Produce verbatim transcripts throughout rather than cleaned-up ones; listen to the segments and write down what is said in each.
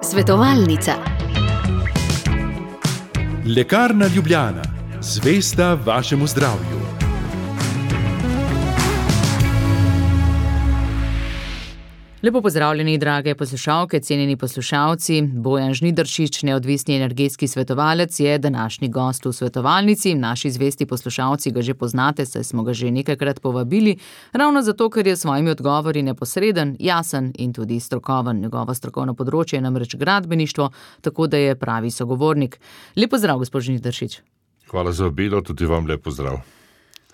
Svetovalnica. Lekarna Ljubljana, zvesta vašemu zdravju. Lepo pozdravljeni, drage poslušalke, cenjeni poslušalci. Bojan Žnidaršič, neodvisni energetski svetovalec, je današnji gost v svetovalnici. Naši zvesti poslušalci ga že poznate, saj smo ga že nekajkrat povabili, ravno zato, ker je s svojimi odgovori neposreden, jasen in tudi strokoven. Njegovo strokovno področje je namreč gradbeništvo, tako da je pravi sogovornik. Lep pozdrav, gospod Žnidaršič. Hvala za vabilo, tudi vam lep pozdrav.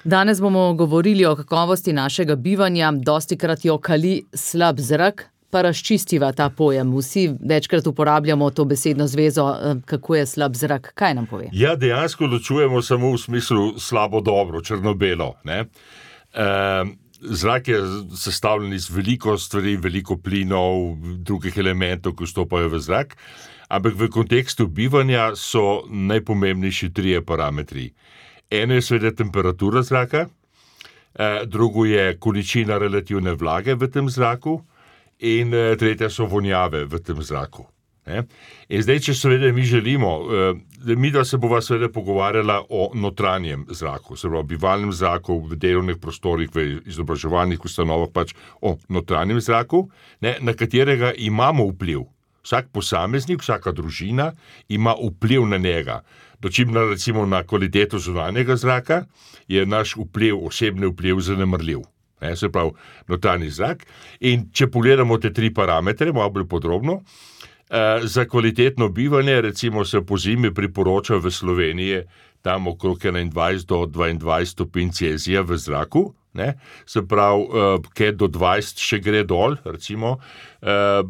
Danes bomo govorili o kakovosti našega bivanja, dostikrat jo kali slab zrak, pa razčistiva ta pojem. Vsi večkrat uporabljamo to besedno zvezo, kako je slab zrak. Kaj nam pove? Ja, dejansko ločujemo samo v smislu slabo-dobro, črno-belo. Ne? E, zrak je sestavljen iz veliko stvari, veliko plinov, drugih elementov, ki vstopajo v zrak, ampak v kontekstu bivanja so najpomembnejši trije parametri. Eno je seveda temperatura zraka, drugo je količina relativne vlage v tem zraku in tretja so vonjave v tem zraku. In zdaj, če seveda mi želimo, mi da se bova seveda pogovarjala o notranjem zraku, se pravi bivalnem zraku v delovnih prostorih, v izobraževalnih ustanovah, pač o notranjem zraku, ne, na katerega imamo vpliv. Vsak posameznik, vsaka družina ima vpliv na njega. Dočim na, recimo na kvaliteto zunanjega zraka, je naš vpliv, osebni vpliv zanemrljiv. Ne, se pravi, notranji zrak. In če pogledamo te tri parametre, malo bolj podrobno, eh, za kvalitetno bivanje, recimo se po zimi priporoča v Sloveniji tam okrog enaindvajset do dvaindvajset stopinj Celzija v zraku, ne, se pravi, eh, kaj do dvajset še gre dol, recimo, eh,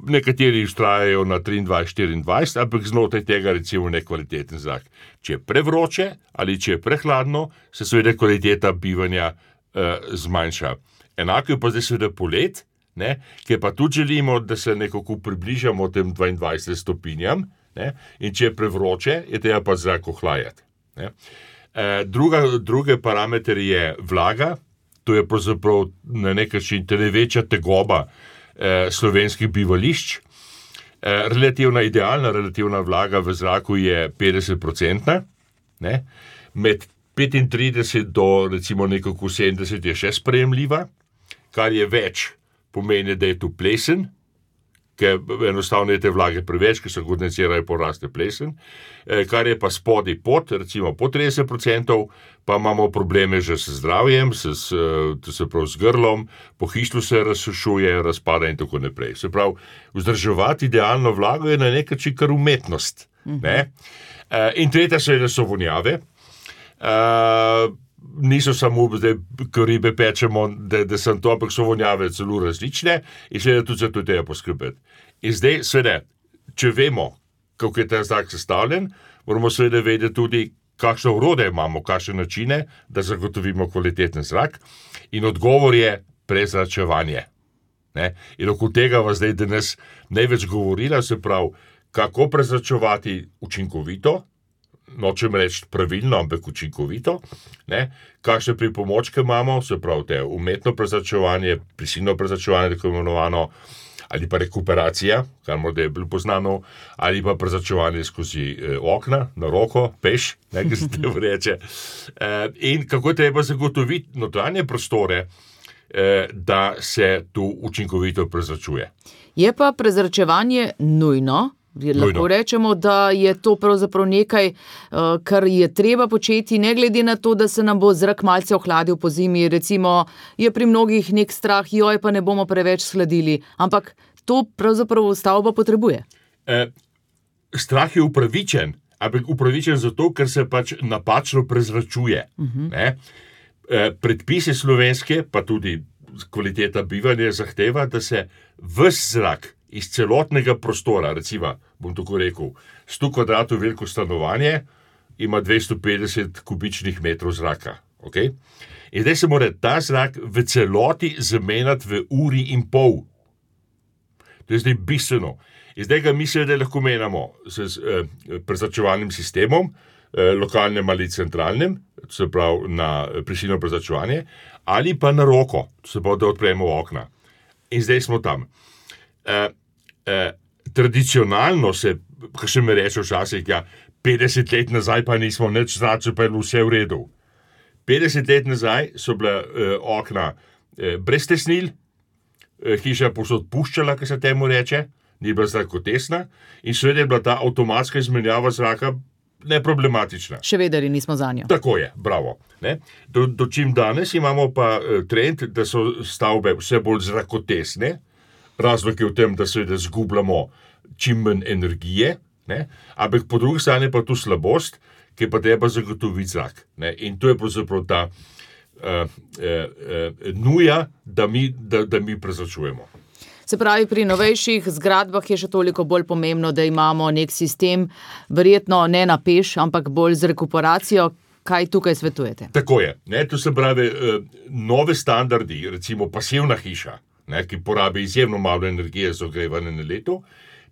nekateri vztrajajo na triindvajset štiriindvajset, ampak znotraj tega recimo nekvaliteten zrak. Če je prevroče ali če je prehladno, se seveda kvaliteta bivanja eh, zmanjša. Enako je pa zdaj seveda polet, ne, ker pa tudi želimo, da se nekako približamo tem dvaindvajsetim stopinjam, ne, in če je prevroče, je treba pa zrak ohlajati. Ne. Eh, druga, druge parameter je vlaga, to je pravzaprav na nek način največja tegoba slovenskih bivališč. Relativna, idealna relativna vlaga v zraku je petdeset procentna, ne? Med petintrideset do recimo nekako sedemdeset je še sprejemljiva, kar je več, pomeni, da je tu plesen, ker enostavno je te vlage preveč, ker se kondensirajo, poraste plesen, kar je pa spodaj pod, recimo pod trideset procentov, pa imamo probleme že s zdravjem, s, se pravi z grlom, pohištvo se razsušuje, razpada in tako naprej. Se pravi, vzdrževati idealno vlago je na nek način kar umetnost. Mhm. Ne? In tretja seveda so vonjave. Niso samo, da ko ribe pečemo, da, da sem to, ampak so vonjave celo različne in seveda tudi za to treba poskrbeti. In zdaj, seveda, če vemo, kako je ta zrak sestavljen, moramo seveda vedeti tudi, kakšne orodje imamo, kakšne načine, da zagotovimo kvaliteten zrak. In odgovor je prezračevanje. Ne? In okoli tega vas zdaj danes največ govorila, se pravi, kako prezračevati učinkovito, nočem reči pravilno, ampak učinkovito, ne? Kakšne pripomočke imamo, se pravi, te umetno prezračevanje, prisilno prezračevanje, tako imenovano, ali pa rekuperacija, kar morda je bolj poznano, ali pa prezračevanje skozi eh, okna, na roko, peš, nekaj se te vreče. Eh, in kako treba zagotoviti notranje prostore, eh, da se tu učinkovito prezračuje. Je pa prezračevanje nujno? Lahko rečemo, da je to pravzaprav nekaj, kar je treba početi, ne glede na to, da se nam bo zrak malce ohladil po zimi. Recimo, je pri mnogih nek strah, joj, pa ne bomo preveč shladili, ampak to pravzaprav stavba potrebuje. Eh, strah je upravičen, ampak upravičen zato, ker se pač napačno prezračuje. Uh-huh. Ne? Eh, predpise slovenske, pa tudi kvaliteta bivanja zahteva, da se ves zrak iz celotnega prostora, recimo, bom tako rekel, sto kvadratov veliko stanovanje ima dvesto petdeset kubičnih metrov zraka. Okay? In zdaj se mora ta zrak v celoti zamenjati v uri in pol. To je zdaj bistveno. In zdaj ga mi seveda lahko menjamo s eh, prezračevalnim sistemom, eh, lokalnem ali centralnem, se pravi na prisilno prezračevanje, ali pa na roko, se pravi, da odpremo okna. In zdaj smo tam. Uh, uh, tradicionalno se, ko še me reče včasih, ja, petdeset let nazaj pa nismo nič zračili, pa je vse v redu. petdeset let nazaj so bila uh, okna uh, brez tesnil, uh, hiša povsod puščala, ki se temu reče, ni bila zrakotesna in seveda je bila ta avtomatska izmenjava zraka neproblematična. Še vedeli nismo za njo. Tako je, bravo. Ne? Do, do čim danes imamo pa uh, trend, da so stavbe vse bolj zrakotesne, razlog je v tem, da seveda zgubljamo čim manj energije, ne? Ampak po drugi strani pa tu slabost, ki pa treba zagotoviti zrak. Ne? In to je pravzaprav ta uh, uh, uh, nuja, da mi, da, da mi prezračujemo. Se pravi, pri novejših zgradbah je še toliko bolj pomembno, da imamo nek sistem, verjetno ne na peš, ampak bolj z rekuperacijo. Kaj tukaj svetujete? Tako je. Ne? To se pravi, uh, nove standardi, recimo pasivna hiša, ne, ki porabi izjemno malo energije za ogrevanje na leto,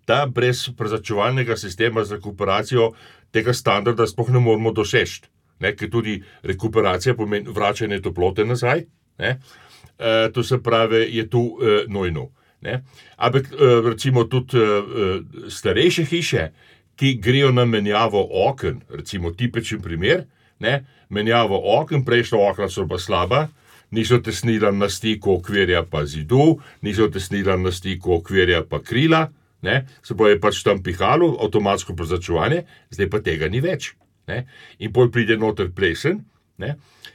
ta brez prezračevalnega sistema z rekuperacijo tega standarda sploh ne moramo doseči, ker tudi rekuperacija pomeni vračanje toplote nazaj, ne, e, to se pravi, je tu e, nujno. Ne. Ampak e, recimo tudi e, starejše hiše, ki grejo na menjavo oken, recimo tipičen primer, ne, menjavo oken, prejšnja okna so pa slaba, niso tesnila na stiku okvirja pa zidu, niso tesnila na stiku okvirja pa krila, ne, se pa je pač tam pihalo, avtomatsko prezračevanje, zdaj pa tega ni več. Ne, in potem pride noter plesen, ne,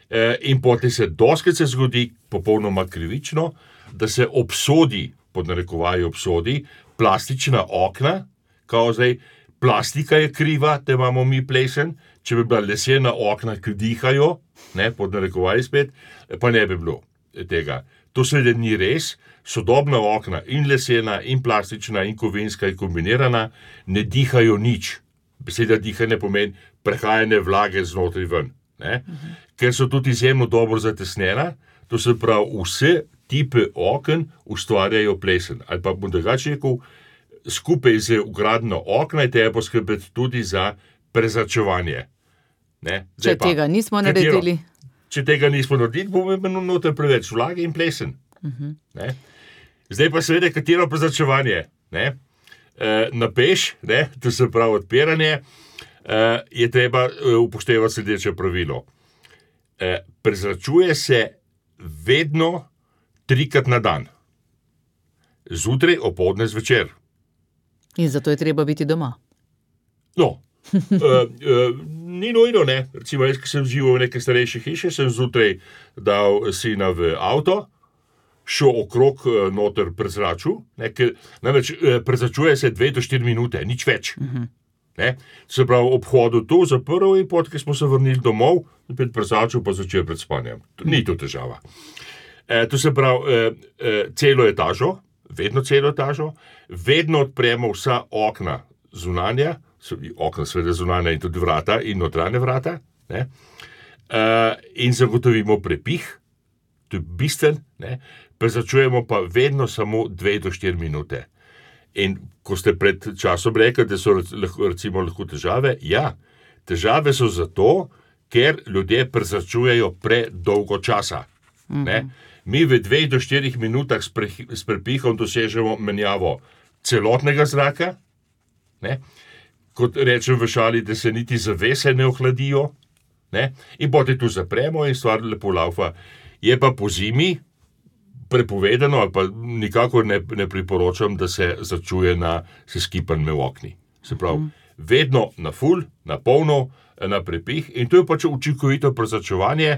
e, in potem se doskrat se zgodi, popolnoma krivično, da se obsodi, pod narekovaji obsodi, plastična okna, kao zdaj, plastika je kriva, da imamo mi plesen, če bi bila lesena okna, ki dihajo, ne, pod narekovaji spet, pa ne bi bilo tega. To seveda ni res, sodobna okna in lesena, in plastična, in kovinska, in kombinirana, ne dihajo nič. Beseda dihanje pomeni prehajanje vlage znotraj ven. Ne? Uh-huh. Ker so tudi izjemno dobro zatesnjena, to se pravi, vse tipe oken ustvarjajo plesen. Ali pa bom drugače rekel, skupaj z vgradno okna je treba poskrbeti tudi za prezračevanje. Ne? Če pa, tega nismo katero, naredili. Če tega nismo naredili, bomo imeli noter preveč vlage in plesen. Uh-huh. Ne? Zdaj pa seveda, katero prezračevanje? Ne? E, na peš, ne? To se pravi odpiranje, e, je treba upoštevati sledeče pravilo. E, prezračuje se vedno trikrat na dan. Zjutraj, opoldne, zvečer. In zato je treba biti doma. No, e, e, ni nujno, ne. Recimo, jaz, ki sem živel v neke starejše hiše, sem zjutraj dal sina v avto, šel okrog noter prezračil, ne, ker namreč prezračuje se dve do štiri minute, nič več. Uh-huh. Ne, se pravi, ob hodu tu zaprl in pot, ki smo se vrnili domov, spet prezračil, pa začel pred spanjem. Ni to težava. E, to se pravi, e, e, celo etažo, vedno celo etažo, vedno odpremo vsa okna zunanja, okna seveda zunanja in tudi vrata in notranje vrata, ne, e, in zagotovimo prepih, to je bistven, ne, prezračujemo pa vedno samo dve do štiri minute. In ko ste pred časom rekli, da so recimo lahko težave, ja, težave so zato, ker ljudje prezračujejo predolgo časa. Mm-hmm. Ne? Mi v dveh do štirih minutah s, pre, s prepihom dosežemo menjavo celotnega zraka, ne? Kot rečem v šali, da se niti zavese ne ohladijo, ne? In potem tu zapremo in stvar lepo laufa. Je pa po zimi prepovedano, ali pa nikakor ne, ne priporočam, da se začuje na seskipanju v okni. Se pravi, mm. vedno na full, na polno, na prepih in to je pač učinkovito prezračevanje,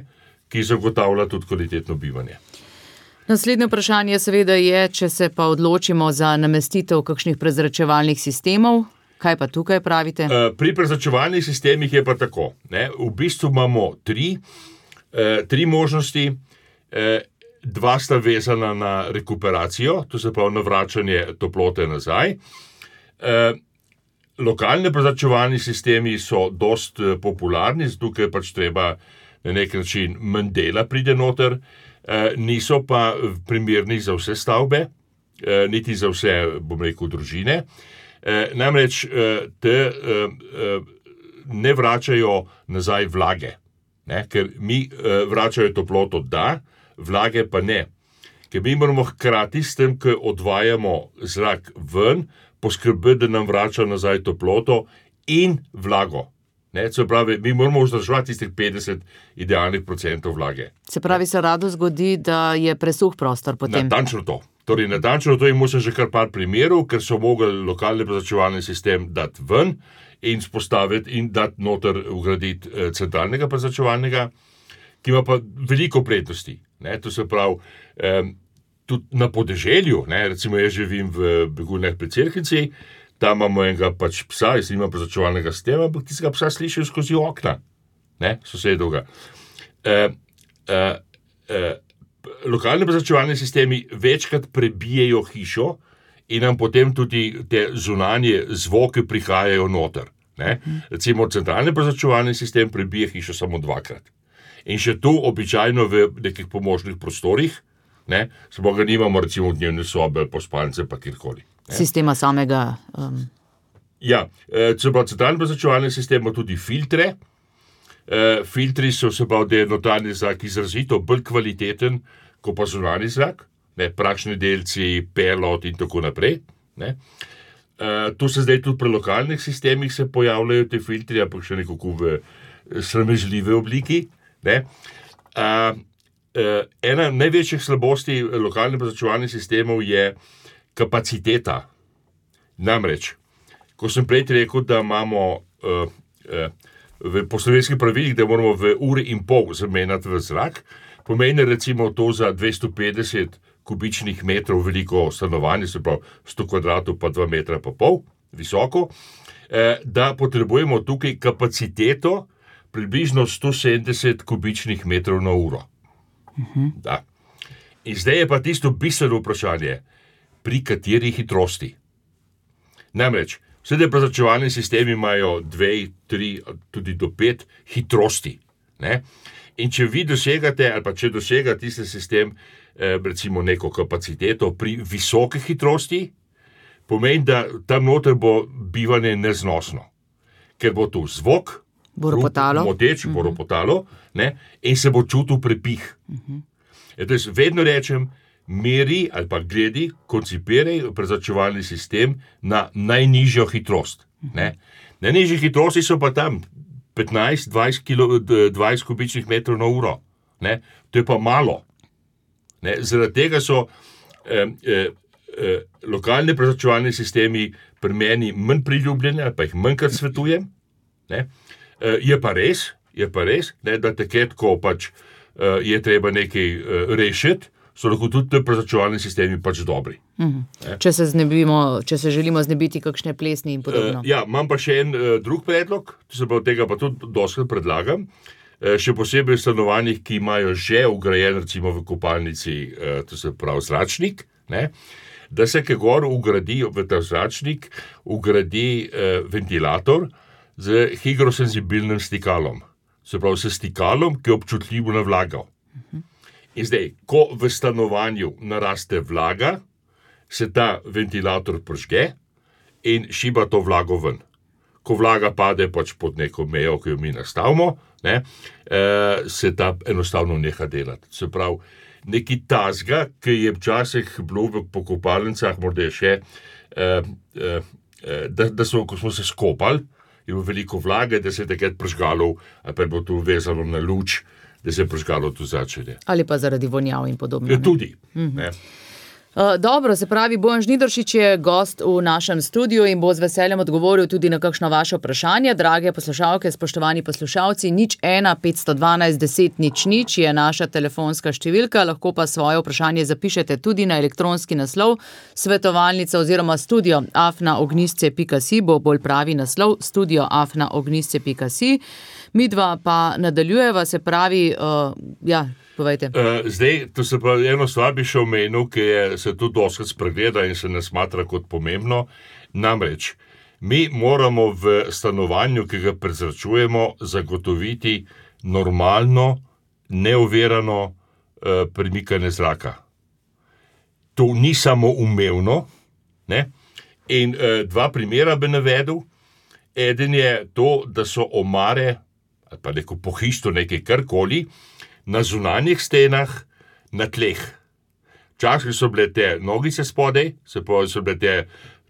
ki zagotavlja tudi kvalitetno bivanje. Naslednje vprašanje seveda je, če se pa odločimo za namestitev kakšnih prezračevalnih sistemov, kaj pa tukaj pravite? Pri prezračevalnih sistemih je pa tako. Ne? V bistvu imamo tri, eh, tri možnosti. Eh, Dva sta vezana na rekuperacijo, to se pravi na vračanje toplote nazaj. E, lokalne prezračevalni sistemi so dost popularni, zato ker pač treba na nek način manj dela pride noter, e, niso pa primerni za vse stavbe, e, niti za vse, bom rekel, družine. E, namreč e, te e, e, ne vračajo nazaj vlage, ne? Ker mi e, vračajo toploto, da, vlage pa ne. Ker mi moramo hkrati s tem, ko odvajamo zrak ven, poskrbeti, da nam vrača nazaj toploto in vlago. Ne, se pravi, mi moramo vzdrževati tistih petdeset idealnih procentov vlage. Se pravi, se rado zgodi, da je presuh prostor potem. Natančno to. Torej, natančno to imamo se že kar par primerov, ker so mogli lokalni prezračevalni sistem dati ven in spostaviti in dati noter vgraditi eh, centralnega prezračevalnega, ki ima pa veliko prednosti. Ne, to se pravi, eh, tudi na podeželju, ne, recimo jaz živim v Begunjah pri Cerknici, tam imamo enega pač psa, jaz nimam prezračevalnega sistema, ampak tistega psa slišim skozi okna, ne, sosedovga. E, e, e, lokalni prezračevalni sistemi večkrat prebijejo hišo in nam potem tudi te zunanje zvoke prihajajo noter. Ne. Recimo centralni prezračevalni sistem prebije hišo samo dvakrat. In še tu običajno v nekih pomožnih prostorih, ne, samo ga nimamo recimo v dnevne sobe ali po spalnice pa kjerkoli. Sistema samega. Um... Ja, se pravi, centralni prezračevalni sistem ima tudi filtre. E, filtri so se pravi, da je notranji zrak izrazito bolj kvaliteten, kot pa zunanji zrak, ne, prašni delci, pelot in tako naprej. Ne. E, to se zdaj tudi pri lokalnih sistemih se pojavljajo te filtri, ampak še nekako v sramežljive obliki. Ne. E, e, ena največjih slabosti lokalnih prezračevalnih sistemov je kapaciteta. Namreč, ko sem prej rekel, da imamo uh, uh, v po slovenskih pravilih, da moramo v uri in pol zamenjati v zrak, pomeni recimo to za dvesto petdeset kubičnih metrov veliko stanovanje, se pravi sto kvadratov pa dva metra pa pol visoko, eh, da potrebujemo tukaj kapaciteto približno sto sedemdeset kubičnih metrov na uro. Uh-huh. Da. In zdaj je pa tisto bistveno vprašanje, pri kateri hitrosti. Namreč, vse te prezračevalni sistemi imajo dve, tri, tudi do pet hitrosti. Ne? In če vi dosegate, ali pa če dosega tisti sistem, eh, recimo neko kapaciteto pri visoki hitrosti, pomeni, da tam noter bo bivanje neznosno. Ker bo tu zvok, ropotalo, moteč, uh-huh. bo ropotalo, ne? In se bo čutil prepih. Uh-huh. Jaz vedno rečem, meri ali pa gledi, koncipiraj prezračevalni sistem na najnižjo hitrost. Ne? Najnižje hitrosti so pa tam petnajst do dvajset kubičnih metrov na uro. Ne? To je pa malo. Ne? Zaradi tega so eh, eh, eh, lokalni prezračevalni sistemi pri meni manj priljubljeni, ali pa jih manjkrat svetujem. Ne? Eh, je pa res, je pa res, ne, da takrat, ko pač eh, je treba nekaj eh, rešiti, so lahko tudi te prezračevalni sistemi pač dobri. Mm. Če se znebimo, če se želimo znebiti kakšne plesni in podobno. Uh, ja, imam pa še en uh, drug predlog, se pa od tega pa tudi dostakrat predlagam, uh, še posebej v stanovanjih, ki imajo že vgrajen recimo v kopalnici, uh, to se pravi zračnik, ne, da se kaj gor ugradi v ta zračnik, ugradi uh, ventilator z higrosenzibilnim stikalom. Se pravi, s stikalom, ki je občutljivo na vlago. Uh-huh. In zdaj, ko v stanovanju naraste vlaga, se ta ventilator pržge in šiba to vlago ven. Ko vlaga pade pač pod neko mejo, ki jo mi nastavimo, ne, eh, se ta enostavno neha delati. Se pravi, neki tazga, ki je včasih bilo po kopalnicah, morda je še, eh, eh, da, da so, ko smo se skopali, je bilo veliko vlage, da se je takrat pržgalo, ali pa je bilo to vezano na luč, da se je prižgalo to začelje. Ali pa zaradi vonjav in podobno. Je tudi. Mm-hmm. Ne. Uh, dobro, se pravi, Bojan Žnidaršič je gost v našem studiu in bo z veseljem odgovoril tudi na kakšno vaše vprašanje. Drage poslušalke, spoštovani poslušalci, nič ena petsto dvanajst deset nič nič je naša telefonska številka, lahko pa svoje vprašanje zapišete tudi na elektronski naslov svetovalnica oziroma studio afna ognjisce pika si, bo bolj pravi naslov studio afna ognjisce pika si. Midva pa nadaljujeva, se pravi, uh, ja, povejte. Uh, zdaj, to se pa eno stvar bi še omenil, ki je, se tudi doskrat spregleda in se ne smatra kot pomembno. Namreč, mi moramo v stanovanju, ki ga prezračujemo, zagotoviti normalno, neovirano uh, premikanje zraka. To ni samo umevno, ne? In uh, dva primera bi navedel. Eden je to, da so omare, ali pa neko pohištvo, nekaj karkoli, na zunanjih stenah, na tleh. Včasih so bile te nogice spodaj, se pa so bile te,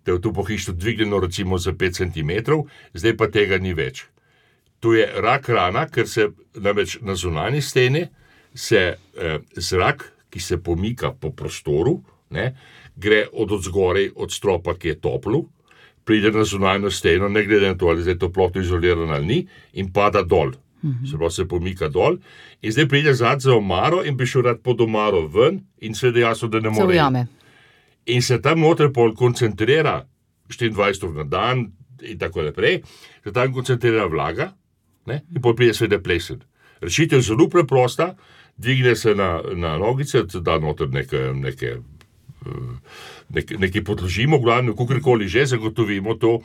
te v to pohištvo dvignjeno recimo za pet centimetrov, zdaj pa tega ni več. To je rak rana, ker se namreč na zunanji steni se eh, zrak, ki se pomika po prostoru, ne, gre od odzgorej, od stropa, ki je toplu, pride na zunanjo steno, ne glede na to, ali je toplotno izolirano ali ni, in pada dol. Se pravi, se pomika dol in zdaj pride zad za omaro in bi šel rad pod omaro ven in seveda jasno, da ne more. In se tam noter pol koncentrira štiriindvajset ur na dan in tako naprej, se tam koncentrira vlaga, ne, in pol pride seveda plesen. Rešitev je zelo preprosta, dvigne se na, na nogice, da noter neke, neke, neke, neke podložimo, glavno, kakorkoli že zagotovimo to,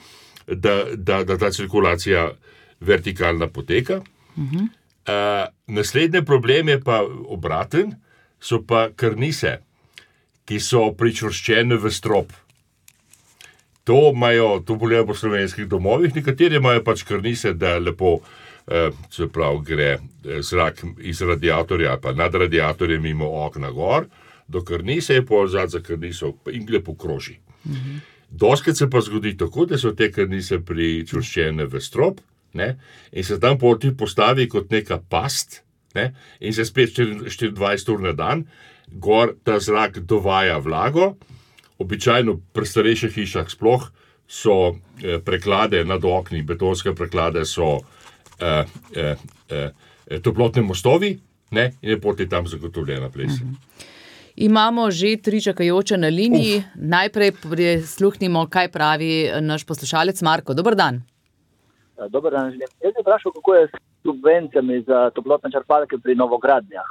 da, da, da ta cirkulacija vertikalna poteka. Uh-huh. Uh, naslednji problem je pa obraten, so pa karnise, ki so pričvrščene v strop. To imajo, to bolje po slovenskih domovih, nekateri imajo pač karnise, da lepo, uh, se pravi, gre zrak iz radiatorja, pa nad radiatorjem mimo okna gor, do karnise je pol zad za karniso in lepo kroži. Uh-huh. Doskrat se pa zgodi tako, da so te karnise pričvrščene v strop, ne, in se tam poti postavi kot neka past, ne, in se spet štiriindvajset ur na dan, gor ta zrak dovaja vlago, običajno pri starejših hišah sploh so eh, preklade nad okni, betonske preklade so eh, eh, eh, toplotne mostovi, ne, in je poti tam zagotovljena plesen. Mhm. Imamo že tri čakajoče na liniji, Uf. Najprej prisluhnimo, kaj pravi naš poslušalec Marko. Dober dan. Dobar dan, želim. Jaz bi vprašal, kako je s subvencijami za toplotne črpalke pri novogradnjah?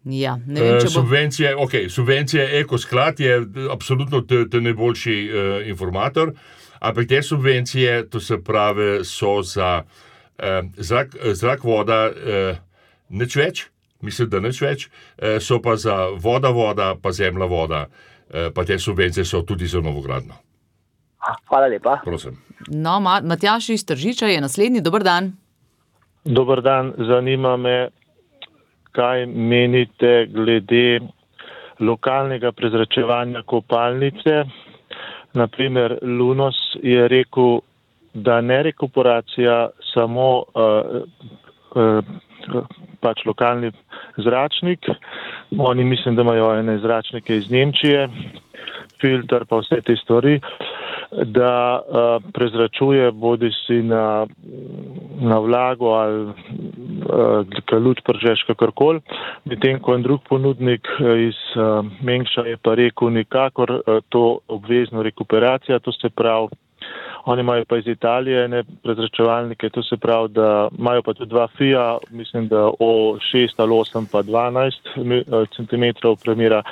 Ja, ne vem, če bo... Subvencije, ok, subvencije Ekosklad je absolutno te, te najboljši uh, informator, ampak te subvencije, to se pravi, so za uh, zrak, zrak, voda, uh, nič več, mislim, da nič več, uh, so pa za voda, voda, pa zemlja, voda, uh, pa te subvencije so tudi za novogradno. Hvala lepa. Prosim. No, Matjaž iz Tržiča je naslednji. Dober dan. Dober dan. Zanima me, kaj menite glede lokalnega prezračevanja kopalnice. Naprimer, Lunos je rekel, da ne rekuperacija samo uh, uh, pač lokalni zračnik. Oni mislim, da imajo ene zračnike iz Nemčije, filter pa vse te stvari, da uh, prezračuje bodi si na, na vlago ali uh, luč pržeš kakorkoli. Medtem ko en drug ponudnik iz uh, Mengša je pa rekel nikakor uh, to obvezno rekuperacija, to se pravi, oni imajo pa iz Italije ne prezračevalnike, to se pravi, da imajo pa tudi dva Fija, mislim, da o šest ali osem pa dvanajst centimetrov premera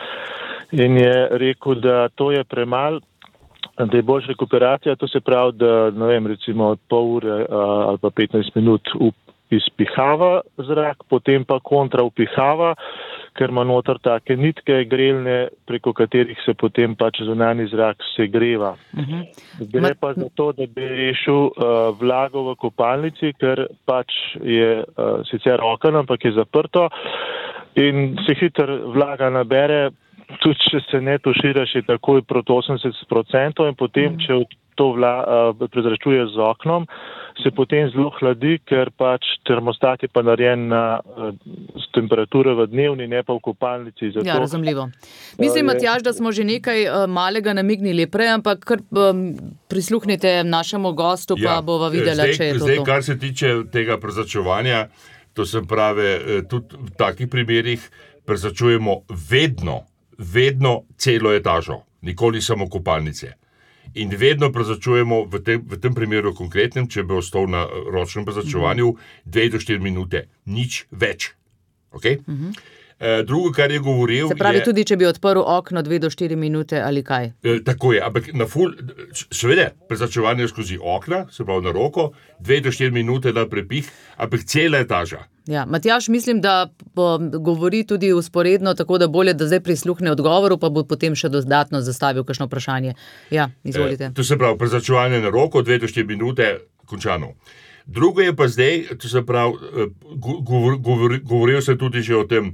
in je rekel, da to je premal, da je boljša rekuperacija, to se pravi, da ne vem, recimo od pol ure ali pa petnajst minut izpihava zrak, potem pa kontra upihava, ker ima noter take nitke grelne, preko katerih se potem pač zunanji zrak segreva. Uh-huh. Gre pa za to, da bi rešil uh, vlago v kopalnici, ker pač je uh, sicer okno, ampak je zaprto in se hitro vlaga nabere, tudi če se ne tuširaš, je takoj proti osemdeset procentov in potem, mm. če to vla, uh, prezračuje z oknom, se potem zelo hladi, ker pač termostat je pa narejen na uh, temperature v dnevni, ne pa v kopalnici. Zato, ja, razumljivo. Mislim, uh, Matjaž, da smo že nekaj uh, malega namignili prej, ampak kar um, prisluhnite našemu gostu, pa ja, bova videla, zdaj, če je to zdaj, to. Kar se tiče tega prezračevanja, to se pravi, tudi v takih primerih prezračujemo vedno, vedno celo etažo, nikoli samo kopalnice. In vedno prezračujemo v tem, v tem primeru konkretnem, če bi ostal na ročnem prezračevanju, dve do štiri minute, nič več. Okay? Uh-huh. E, drugo, kar je govoril... Se pravi, je, tudi če bi odprl okno dve do štiri minute ali kaj? E, tako je, ampak na ful, seveda, prezračevanje skozi okna, se pravi na roko, dve do štiri minute na prepih, ampak cela etaža. Ja, Matjaž, mislim, da govori tudi usporedno, tako da bolje, da zdaj prisluhne odgovoru, pa bo potem še dodatno zastavil kakšno vprašanje. Ja, izvolite. E, to se pravi, prezračevanje na roko, dve do štiri minute, končano. Drugo je pa zdaj, to se pravi, govor, govor, govoril se tudi že o tem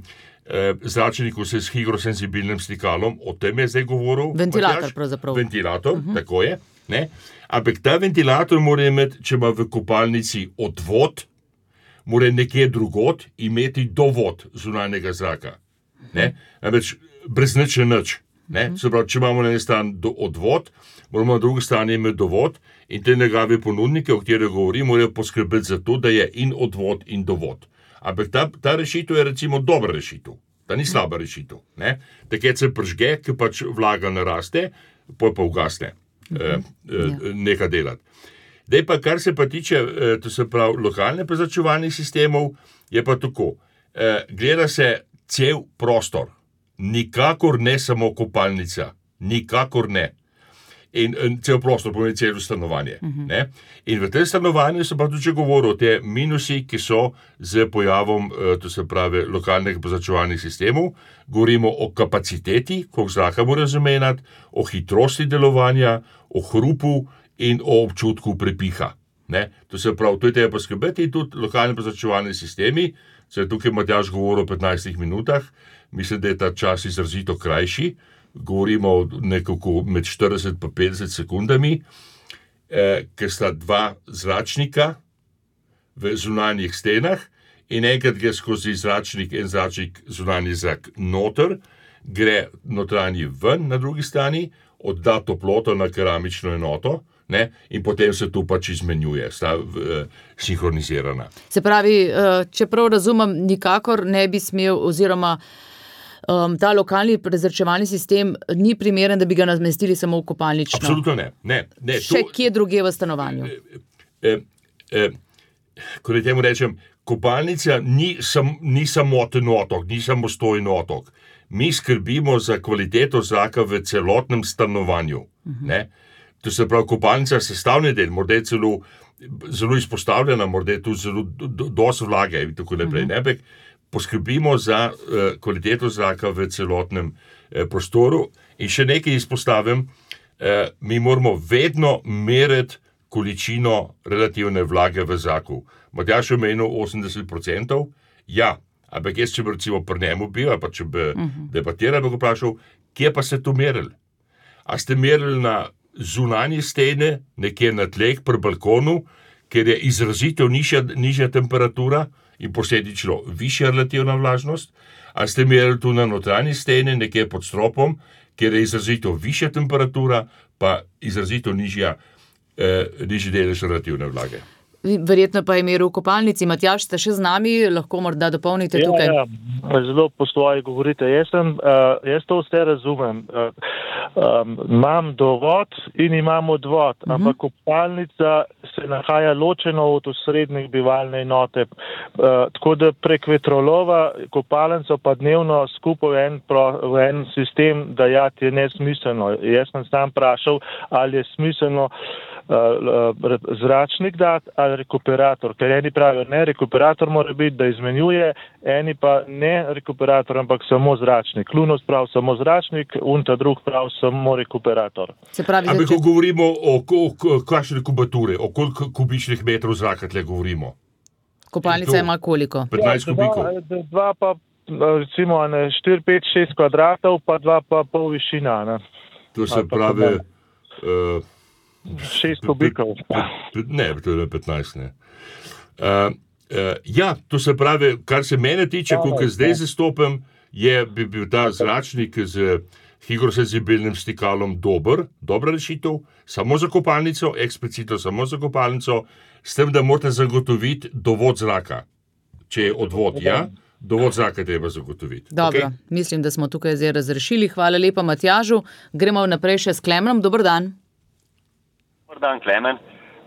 zračniku se s higrosenzibilnim stikalom, o tem je zdaj govoril. Ventilator Matjaž. pravzaprav. Ventilator, uh-huh. tako je. Ne? Ampak ta ventilator mora imeti, če ima v kopalnici odvod, mora nekje drugot imeti dovod zunanjega zraka. Ne? Namreč brez nič je nič. Ne? Se pravi, če imamo na eni strani odvod, moramo na drugi strani imeti dovod in te njegove ponudnike, o katerih govorim, morajo poskrbeti za to, da je in odvod in dovod. Ampak ta, ta rešitev je recimo dobra rešitev. Ta ni slaba rešitev. Ne? Takrat se pržge, ki pač vlaga naraste, poj pa ugasne. Uh-huh. Eh, eh, nekaj delati. Dej pa, kar se pa tiče, eh, to se pravi, lokalne prezračevalnih sistemov, je pa tako. Eh, gleda se cel prostor. Nikakor ne samo kopalnica. Nikakor ne. In, in cel prostor pomeni celo stanovanje. Uh-huh. Ne? In v tem stanovanju se pa tudi govori o te minusi, ki so z pojavom, eh, to se pravi, lokalnih prezračevalnih sistemov. Govorimo o kapaciteti, koliko zraka mora zamenjati, o hitrosti delovanja, o hrupu in o občutku prepiha. Ne? To se pravi, to je treba poskrbeti in tudi lokalni prezračevalni sistemi, se je tukaj Matjaž govoril o petnajstih minutah, mislim, da je ta čas izrazito krajši, govorimo nekako med štirideset pa petdeset sekundami, eh, ker sta dva zračnika v zunanjih stenah in enkrat gre skozi zračnik, en zračnik zunanji zrak noter, gre notranji ven na drugi strani, odda toploto na keramično enoto, ne, in potem se tu pač izmenjuje, sta uh, sinhronizirana. Se pravi, uh, če prav razumem, nikakor ne bi smel oziroma um, ta lokalni prezračevalni sistem ni primeren, da bi ga namestili samo v kopalnično. Absolutno ne. ne, ne Še to, kje drugje v stanovanju? Eh, eh, eh, ko ne temu rečem, kopalnica ni, sam, ni samoten otok, ni samostojen otok. Mi skrbimo za kvaliteto zraka v celotnem stanovanju. Uh-huh. Ne? To se pravi, kopalnica je sestavni del, morda je celo zelo izpostavljena, morda je tudi zelo do, dosti vlage in tako naprej. Uh-huh. Ne? Poskrbimo za uh, kvaliteto zraka v celotnem uh, prostoru. In še nekaj izpostavim, uh, mi moramo vedno meriti količino relativne vlage v zraku. Matjaž je omenil osemdeset procentov, ja, ampak jaz, če bi recimo pri njemu bil, ali pa če bi uh-huh. debatiral, bi ga vprašal, kje pa ste to merili? A ste merili na zunanje stene, nekje na tleh, pri balkonu, ker je izrazito nižja, nižja temperatura in posledično višja relativna vlažnost, a ste merili tu na notranji stene, nekje pod stropom, ker je izrazito višja temperatura, pa izrazito nižja, eh, nižji delež relativne vlage. Verjetno pa je meril v kopalnici. Matjaž, ste še z nami, lahko morda dopolnite ja, tukaj. Ja, zelo po svoje govorite. Jaz, sem, uh, jaz to vse razumem. Uh, um, imam dovod in imam odvod, uh-huh. ampak kopalnica se nahaja ločeno od osrednjih bivalne enote. Uh, tako da prek vetrolova kopalnico pa dnevno skupaj v en, pro, v en sistem dajati je nesmiselno. Jaz sem sam vprašal, ali je smiselno zračnik dati ali rekuperator, ker eni pravijo, ne, rekuperator mora biti, da izmenjuje, eni pa ne rekuperator, ampak samo zračnik. Lunos pravi samo zračnik, unta drug pravi samo rekuperator. Ampak ko govorimo o, o, o kakšne kubature, o koliko kubičnih metrov zraka tle govorimo? Kopalnica ima koliko? petnajst ja, kubikov. Dva, dva pa, recimo, ne, štiri, pet, šest kvadratov, pa dva pa pol višina. Ne. To se pravi... Uh, Šest kubikov. Ne, to je petnajst, ne. Uh, uh, ja, to se pravi, kar se mene tiče, koliko zdaj zastopim, je bi bil ta zračnik z higrosenzibilnim stikalom dober, dobra rešitev, samo za kopalnico, eksplicitno samo za kopalnico, s tem, da morate zagotoviti dovod zraka. Če je odvod, ja, dovod zraka treba zagotoviti. Dobro, okay? Mislim, da smo tukaj zdaj razrešili. Hvala lepa Matjažu. Gremo naprej še s Klemnom. Dober dan. Dobar dan, Klemen.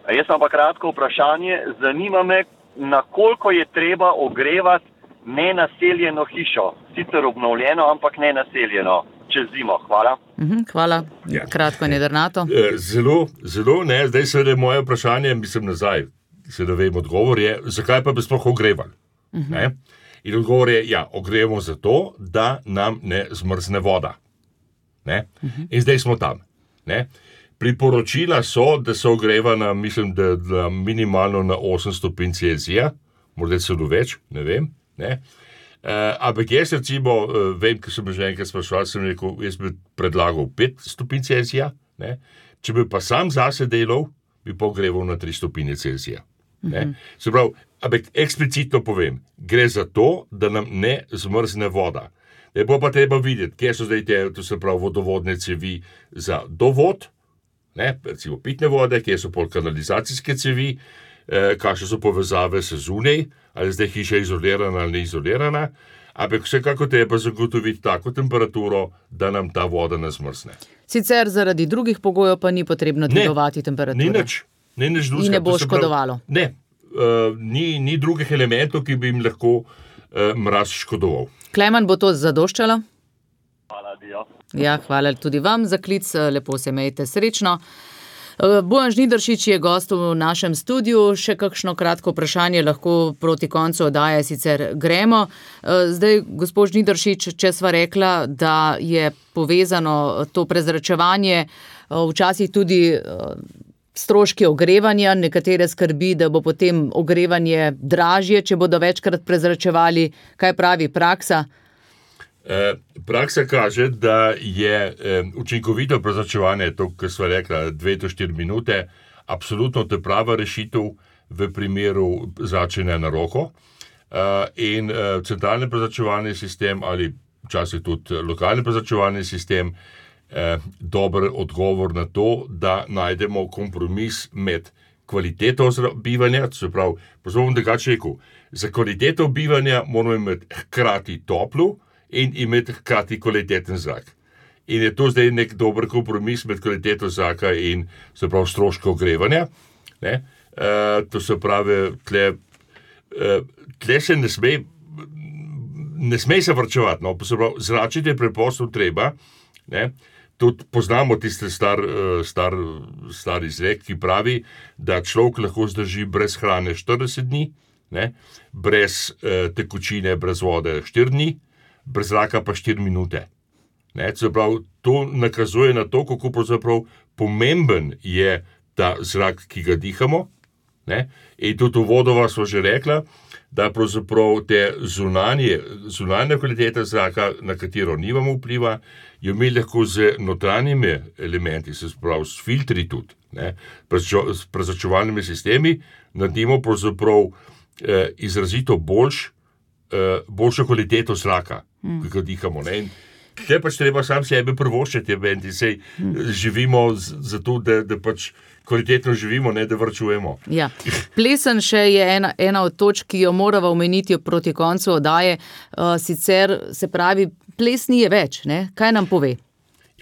Jaz imam pa kratko vprašanje. Zanima me, na koliko je treba ogrevati nenaseljeno hišo. Sicer obnovljeno, ampak nenaseljeno. Čez zimo. Hvala. Mhm, hvala. Ja. Kratko in jedrnato. Zelo, zelo, ne. Zdaj se je moje vprašanje, mislim nazaj, se da vem odgovor, je, zakaj pa bi sploh ogrevali? Mhm. Ne? In odgovor je, ja, ogrevamo zato, da nam ne zmrzne voda. Ne? Mhm. In zdaj smo tam. Ne? Priporočila so, da se ogreva na, mislim, da, da minimalno na osem stopinj Celzija, morda celo več, ne vem. Ne? Uh, ampak jaz recimo, uh, vem, ker sem že enkrat spraševal, sem rekel, jaz bi predlagal pet stopinj Celzija, ne? Če bi pa sam zase delal, bi pa ogreval na tri stopinje Celzija. Mm-hmm. Se pravi, ampak eksplicitno povem, gre za to, da nam ne zmrzne voda. Ne bo pa treba videti, kje so zdaj te, to se pravi, vodovodne cevi za dovod, ne? Recimo pitne vode, kje so pol kanalizacijske cevi, eh, kakšne so povezave se zunaj, ali zdaj hiša izolirana ali ne izolirana, ampak vsekako treba zagotoviti tako temperaturo, da nam ta voda ne zmrzne. Sicer zaradi drugih pogojev pa ni potrebno dvigovati temperature. Ni nič, ni nič drugega. In ne bo škodovalo. Ne, uh, ni, ni drugih elementov, ki bi jim lahko uh, mraz škodoval. Klemen, bo to zadoščalo? Hvala, Dio. Ja, hvala tudi vam za klic, lepo se imejte, srečno. Bojan Žnidaršič je gost v našem studiu, še kakšno kratko vprašanje lahko proti koncu oddaje sicer gremo. Zdaj, gospod Žnidaršič, če sva rekla, da je povezano to prezračevanje včasih tudi stroški ogrevanja, nekatere skrbi, da bo potem ogrevanje dražje, če bodo večkrat prezračevali, kaj pravi praksa? Praksa kaže, da je učinkovito prezračevanje, to, kar sva rekla, dve do štiri minute, absolutno to prava rešitev v primeru zračenja na roko. In centralni prezračevalni sistem ali včasih tudi lokalni prezračevalni sistem dober odgovor na to, da najdemo kompromis med kvaliteto bivanja, to se pravi, pozvom drugače rekel, za kvaliteto bivanja moramo imeti hkrati toplo in imeti hkrati kvaliteten zrak. In je to zdaj nek dober kompromis med kvaliteto zraka in se pravi stroško ogrevanja. Ne? Uh, to se pravi, tle, uh, tle se ne sme, ne sme se vrčevati, no? Se pravi, zračiti je preprosto treba. Ne? Tudi poznamo tiste star, uh, star, star izrek, ki pravi, da človek lahko zdrži brez hrane štirideset dni, ne? Brez uh, tekočine, brez vode štiri dni, brez zraka pa štiri minute. Ne, pravi, to nakazuje na to, kako pravzaprav pomemben je ta zrak, ki ga dihamo. Ne? In tudi v vodova smo že rekla, da pravzaprav te zunanje, zunanje kvalitete zraka, na katero nimamo vpliva, jo mi lahko z notranjimi elementi, se pravi s filtri tudi, ne? S prezračevalnimi sistemi, naredimo pravzaprav eh, izrazito boljš, eh, boljšo kvaliteto zraka, mm. ki ga dihamo. Ne? In te pač treba sam sebe prvoščiti, bendi, sej živimo zato, da, da pač kvalitetno živimo, ne da vrčujemo. Ja. Plesen še je ena, ena od točk, ki jo morava omeniti proti koncu oddaje, uh, sicer se pravi, plesni je več, ne? Kaj nam pove?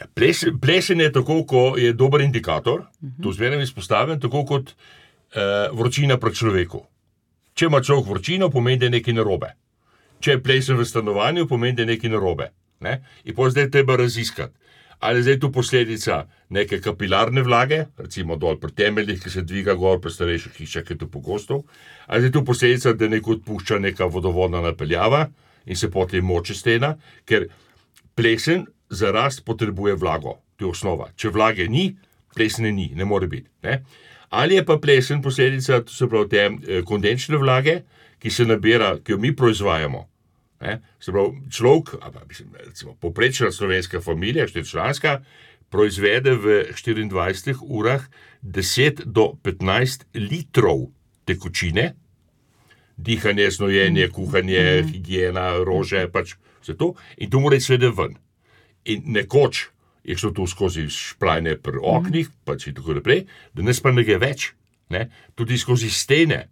Ja, ples, plesen je tako, ko je dober indikator, uh-huh. To zmeraj izpostavim, tako kot uh, vročina pri človeku. Če ima človek vročino, pomeni, da je nekaj narobe. Če je plesen v stanovanju, pomeni, da je nekaj narobe. Ne? In potem zdaj treba raziskati, ali zdaj tu posledica neke kapilarne vlage, recimo dol pri temeljih, ki se dviga gor pri starejših hišah, ki je to pogosto, ali zdaj tu posledica, da neko odpušča neka vodovodna napeljava in se potem moče stena, ker plesen za rast potrebuje vlago, to je osnova. Če vlage ni, plesne ni, ne more biti. Ne? Ali je pa plesen posledica, to se pravi te eh, kondenčne vlage, ki se nabira, ki jo mi proizvajamo. Ne? Se pravi, človek, mislim, recimo, poprečna slovenska familija, štiričlanska, proizvede v štiriindvajsetih urah deset do petnajst litrov tekočine, dihanje, snojenje, kuhanje, mm. higiena, rože, pač vse to, in to mora seveda ven. In nekoč je šlo to skozi šplajne pri oknih, mm. pač in tako naprej, danes pa nekaj več, ne? Tudi skozi stene,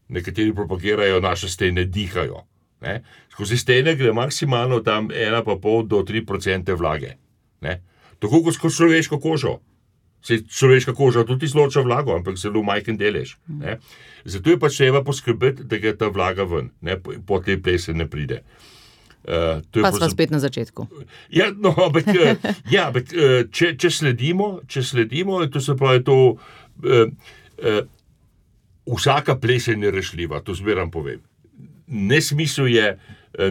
nekateri propagirajo, naše stene dihajo. Ne? Skozi stene gre maksimalno tam ena pa pol do tri procente vlage. Ne? Tako kot skozi človeško kožo. Se človeška koža tudi izloča vlago, ampak zelo majhen delež. Ne? Zato je pač treba poskrbeti, da gre ta vlaga ven, ne? Po, po tej plese ne pride. Uh, pa smo spet na začetku. Ja, no, ampak, ja, ampak če, če sledimo, če sledimo, to se pravi to, uh, uh, vsaka plesen je rešljiva, to zmeram povem. Nesmisel je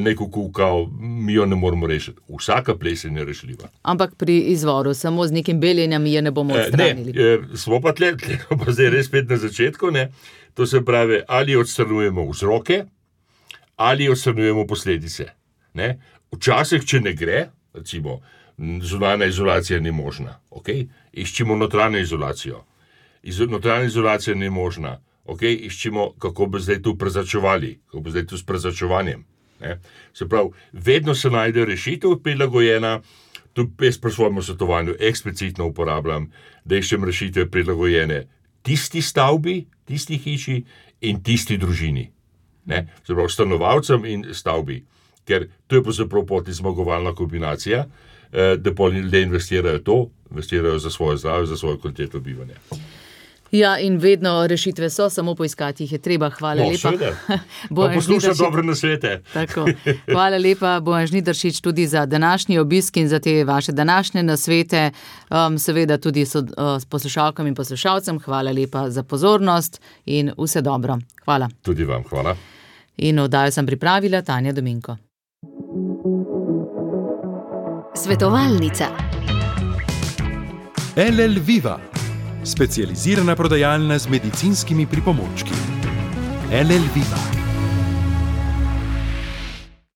neko kukao, mi jo ne moramo rešiti. Vsaka plesen je rešljiva. Ampak pri izvoru, samo z nekim beljenjem je ne bomo odstranili. Ne, smo pa tle, tle pa zdaj res spet na začetku, ne. To se pravi, ali odstranujemo vzroke, ali odstranjujemo posledice. Ne? Včasih, če ne gre, recimo, zunanja izolacija ni možna, okay? Iščemo notranjo izolacijo. Iz, notranja izolacija ni možna, okay? Iščemo, kako bi zdaj tu prezračevali, kako bi zdaj tu s prezračevanjem. Ne? Se pravi, vedno se najde rešitev prilagojena, tu jaz pri svojem svetovanju eksplicitno uporabljam, da iščem rešitve prilagojene tisti stavbi, tisti hiši in tisti družini. Ne? Se pravi, stanovalcem in stavbi. Ker to je pravzaprav poti zmagovalna kombinacija, da pa ljudje investirajo to, investirajo za svoje zdravje, za svojo kvaliteto bivanja. Ja, in vedno rešitve so, samo poiskati jih je treba. Hvala no, lepa. Pa poslušaj dobre nasvete. Tako. Hvala lepa, Bojan Žnidaršič, tudi za današnji obisk in za te vaše današnje nasvete. Um, seveda tudi so, uh, s poslušalkam in poslušalcem. Hvala lepa za pozornost in vse dobro. Hvala. Tudi vam, hvala. In oddajo sem pripravila Tanja Dominko. Svetovalnica. L L Viva, specializirana prodajalna z medicinskimi pripomočki. L L Viva.